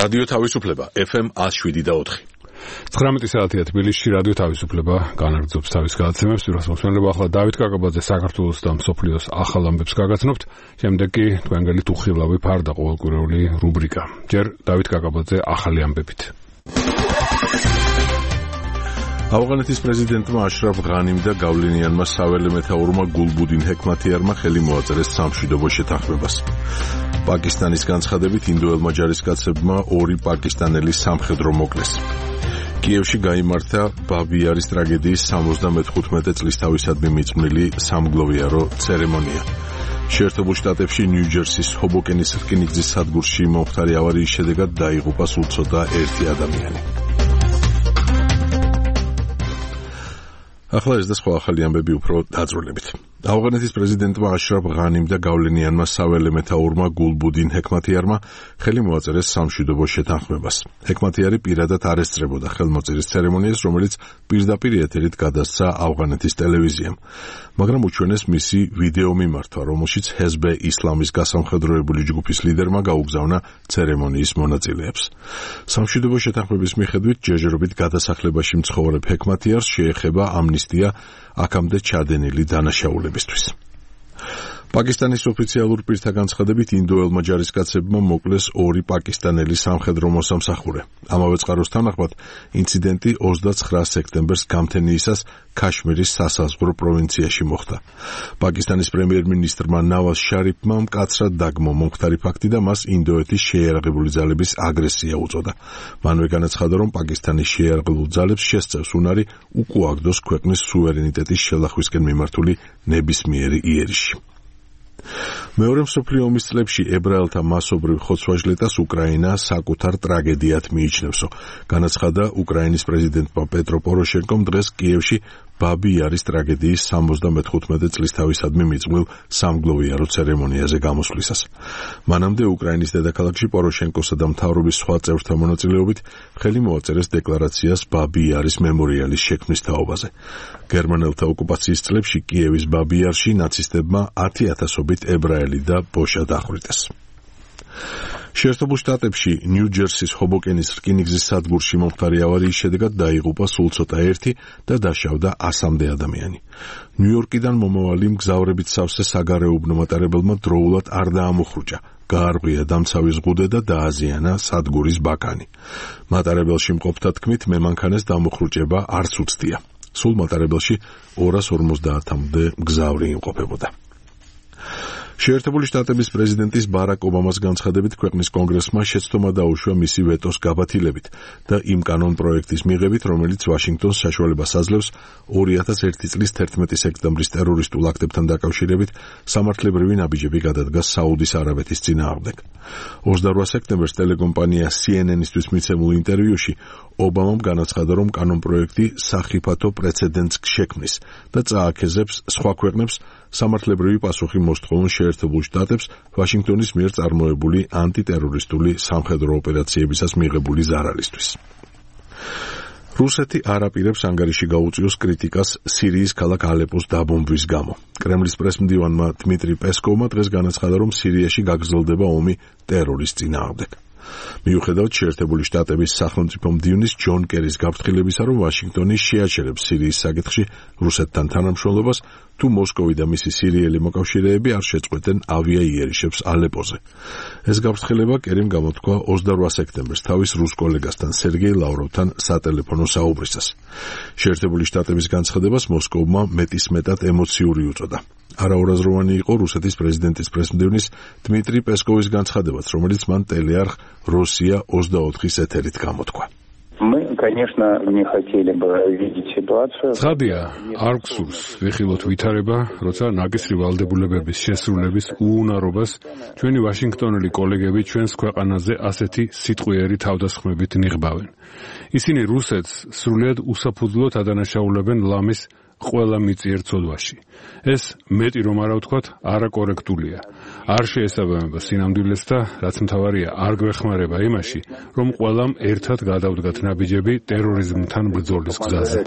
რადიო თავისუფლება FM 107.4. 19 საათია თბილისში რადიო თავისუფლება განაგრძობს თავის გადაცემებს. ვირას მოსმენდება ახლა დავით კაკაბაძე საქართველოს და მსოფლიოს ახალ ამბებს გაგაცნობთ. შემდეგ კი თქვენგანით უხილავი ფარდა ყოველკვირეული რუბრიკა. ჯერ დავით კაკაბაძე ახალი ამბებით. ავღანეთის პრეზიდენტმა აშრაფ ღანიმ და გავლენიანმა საველე მეთაურმა გულბუდინ ჰექმათიარმა ხელი მოაწერეს სამშვიდობო შეთანხმებას. პაკისტანის განცხადებით ინდოელმა ჯარისკაცებმა 2 პაკისტანელი სამხედრო მოკლეს. კიევში გაიმართა ბაბიარის ტრაგედიის 75 წლისთავისადმი მიძღვნილი სამგლოვიარო ცერემონია. შეერთებულ შტატებში ნიუ-ჯერსის ჰობოკენის რკინიგზის სადგურში მომხდარი ავარიის შედეგად დაიღუპა სულ ცოტა 1 ადამიანი. ახლა ეს და სხვა ახალი ამბები უფრო დაწვრილებით. ავღანეთის პრეზიდენტმა აშრაფ ღანიმ და გავლენიანმა საველე მეთაურმა გულბუდინ ჰექმათიარმა ხელი მოაწერეს სამშვიდობო შეთანხმებას. ჰექმათიარი პირადად არ ესწრებოდა ხელმოწერის ცერემონიას, რომელიც პირდაპირ ეთერით გადასცა ავღანეთის ტელევიზიამ. მაგრამ უჩვენეს მისი ვიდეო მიმართვა, რომელშიც ჰეზბე ისლამის გასამხედროებული ჯგუფის ლიდერმა გაუგზავნა ცერემონიის მონაწილეებს. სამშვიდობო შეთანხმების მიხედვით ჯერჯერობით გადასახლებაში მცხოვრებ ჰექმათიარს შეეხება ამნისტია აქამდე ჩადენილი დანაშაულებისთვის. პაკისტანის ოფიციალურ პირთა განცხადებით ინდოელმა ჯარისკაცებმა მოკლეს 2 პაკისტანელი სამხედრო მოსამსახურე. ამავე წყაროს თანახმად ინციდენტი 29 სექტემბერს გამთენიისას ქაშმირის სასაზღვრო პროვინციაში მოხდა. პაკისტანის პრემიერ-მინისტრმა ნავაზ შარიფმა მკაცრად დაგმო მომხდარი ფაქტი და მას ინდოეთის შეიარაღებული ძალების აგრესია უწოდა. მანვე განაცხადა, რომ პაკისტანის შეიარაღებულ ძალებს შესწევს უნარი უკუაგდოს ქვეყნის სუვერენიტეტის შელახვისკენ მიმართული ნებისმიერი იერიში. მეორე მსოფლიო ომის წლებში ებრაელთა მასობრივ ხოცვა-ჟლეტას უკრაინა საკუთარ ტრაგედიად მიიჩნევსო. განაცხადა უკრაინის პრეზიდენტმა პეტრო პოროშენკომ დღეს კიევში ბაბიარის ტრაგედიის 75 წლისთავისადმი მიძღვნილ სამგლოვიარო ცერემონიაზე გამოსვლისას. მანამდე უკრაინის დედაქალაქში პოროშენკოსა და მთავრობის სხვა წევრთა მონაწილეობით ხელი მოაწერეს დეკლარაციას ბაბიარის მემორიალის შექმნის თაობაზე. გერმანელთა ოკუპაციის წლებში კიევის ბაბიარში ნაცისტებმა 10,000-ობით ებრაელი და ბოშა დახვრიტეს. შეერთებულ შტატებში ნიუ-ჯერსის ჰობოკენის რკინიგზის სადგურში მომხდარი ავარიის შედეგად დაიღუპა სულ ცოტა 1 და დაშავდა 100-მდე ადამიანი. ნიუ-იორკიდან მომავალი მგზავრებით სავსე საგარეუბნო მატარებელმა დროულად არ დაამოხრუჭა. გაარღვია დამცავი ზღუდე და დააზიანა სადგურის ბაქანი. მატარებელში მყოფთა თქმით, მემანქანეს დამოხრუჭება არც უცდია. სულ მატარებელში 250-მდე მგზავრი იმყოფებოდა. შეერთებული შტატების პრეზიდენტის ბარაკ ობამას განცხადებით ქვეყნის კონგრესმა შეცდომა დაუშვა მისი ვეტოს გაბათილებით და იმ კანონ პროექტის მიღებით, რომელიც ვაშინგტონს საშუალებას აძლევს 2001 წლის 11 სექტემბრის ტერორისტულ აქტებთან დაკავშირებით სამართლებრივი ნაბიჯები გადადგას საუდის არაბეთის წინააღმდეგ. 28 სექტემბერს ტელეკომპანია CNN-ისთვის მიცემულ ინტერვიუში ობამამ განაცხადა, რომ კანონ პროექტი სახიფათო პრეცედენტს შექმნის და წააქეზებს სხვა ქვეყნებს სამართლებრივი პასუხი მოსთხოვონ შეერთებულ შტატებს ვაშინგტონის მიერ წარმოებული ანტიტერორისტული სამხედრო ოპერაციებისას მიღებული ზარალისთვის. რუსეთი არ აპირებს ანგარიში გაუწიოს კრიტიკას სირიის ქალაქ ალეპოს დაბომბვის გამო. კრემლის პრესმდივანმა დმიტრი პესკოვმა დღეს განაცხადა, რომ სირიაში გაგრძელდება ომი ტერორის წინააღმდეგ. მიუხედავად შეერთებული შტატების სახელმწიფო მდივნის ჯონ კერის გაფრთხილებისა, რომ ვაშინგტონი შეაჩერებს სირიის საკითხში რუსეთთან თანამშრომლობას, თუ მოსკოვი და მისი სირიელი მოკავშირეები არ შეწყვეტენ ავიაიერიშებს ალეპოზე. ეს გაფრთხილება კერიმ გამოთქვა 28 სექტემბერს თავის რუს კოლეგასთან სერგეი ლავროვთან სატელეფონო საუბრისას. შეერთებული შტატების განცხადებას მოსკოვმა მეტისმეტად ემოციური უწოდა. არაურაზროვანი იყო რუსეთის პრეზიდენტის პრესმდივნის დმიტრი პესკოვის განცხადებაც, რომელიც მან ტელეარხ როსია 24-ის ეთერით გამოთქვა. ცხადია, არ გვსურს ვიხილოთ ვითარება, როცა ნაკისრი ვალდებულებების შესრულების უუნარობას ჩვენი ვაშინგტონელი კოლეგები ჩვენს ქვეყანაზე ასეთი სიტყვიერი თავდასხმებით ნიღბავენ. ისინი რუსეთს სრულიად უსაფუძვლოდ ადანაშაულებენ ლამის ყველა მიწიერ ცოდვაში. ეს მეტი რომ არა ვთქვათ, არაკორექტულია. არ შეესაბამება სინამდვილეს და რაც მთავარია, არ გვეხმარება იმაში, რომ ყველამ ერთად გადავდგათ ნაბიჯები ტერორიზმთან ბრძოლის გზაზე.